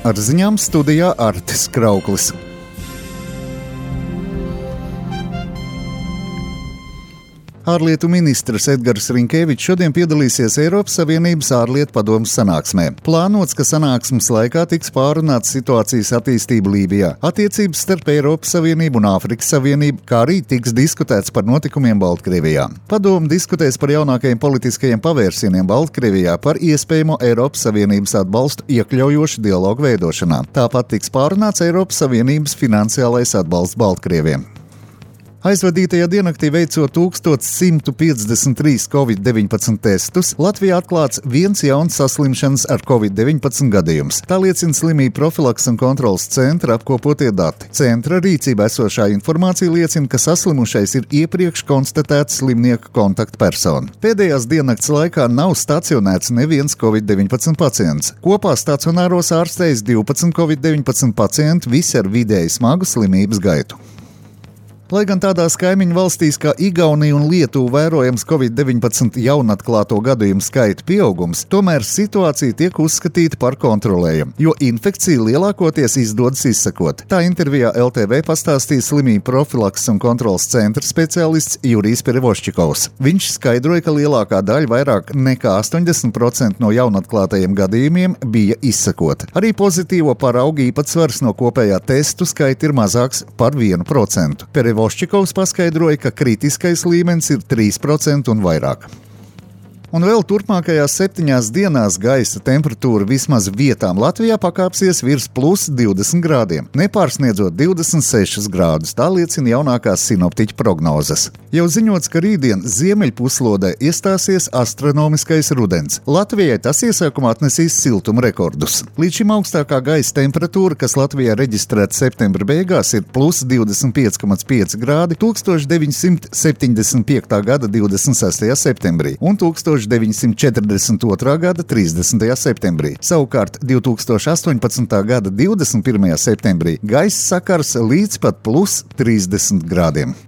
Ar ziņām studijā Artis Krauklis. Ārlietu ministrs Edgars Rinkēvičs šodien piedalīsies Eiropas Savienības ārlietu padomes sanāksmē. Plānots, ka sanāksmes laikā tiks pārunāts situācijas attīstība Lībijā, attiecības starp Eiropas Savienību un Āfrikas Savienību, kā arī tiks diskutēts par notikumiem Baltkrievijā. Padome diskutēs par jaunākajiem politiskajiem pavērsieniem Baltkrievijā, par iespējamo Eiropas Savienības atbalstu iekļaujošu dialogu veidošanā. Tāpat tiks pārunāts Eiropas Savienības finansiālais atbalsts Baltkrieviem. Aizvadītajā diennaktī veicot 1153 Covid-19 testus, Latvijā atklāts viens jauns saslimšanas ar Covid-19 gadījums. Tā liecina slimību profilaks un kontrolas centra apkopotie dati. Centra rīcībā esošā informācija liecina, ka saslimušais ir iepriekš konstatēts slimnieka kontaktpersona. Pēdējās diennakts laikā nav stacionēts neviens Covid-19 pacients. Kopā stacionāros ārstējas 12 Covid-19 pacienti, visi ar vidēji smagu slimības gaitu. Lai gan tādās kaimiņu valstīs kā Igaunija un Lietuva vērojams Covid-19 jaunatklāto gadījumu skaita pieaugums, tomēr situācija tiek uzskatīta par kontrolējumu, jo infekciju lielākoties izdodas izsekot. Tā intervijā LTV pastāstīja slimību profilaks un kontrolas centra speciālists Jurijs Perevoščikovs. Viņš skaidroja, ka lielākā daļa, vairāk nekā 80% no jaunatklātajiem gadījumiem bija izsekota. Arī pozitīvo paraugu īpatsvars no kopējā testu skaita ir mazāks par 1%. Voščikovs paskaidroja, ka kritiskais līmenis ir 3% un vairāk. Un vēl turpmākajās 7 dienās gaisa temperatūra vismaz vietām Latvijā pakāpsies virs plus 20 grādiem, nepārsniedzot 26 grādus, tā liecina jaunākās sinoptiķu prognozes. Jau ziņots, ka rītdien ziemeļpuslodē iestāsies astronomiskais rudens. Latvijai tas iesākumā atnesīs siltuma rekordus. Līdz šim augstākā gaisa temperatūra, kas Latvijā reģistrēta septembra beigās, ir plus 25,5 grādi 1975. gada 26. septembrī un 1942. gada 30. septembrī. Savukārt 2018. gada 21. septembrī gaisa sakars līdz pat plus 30 grādiem.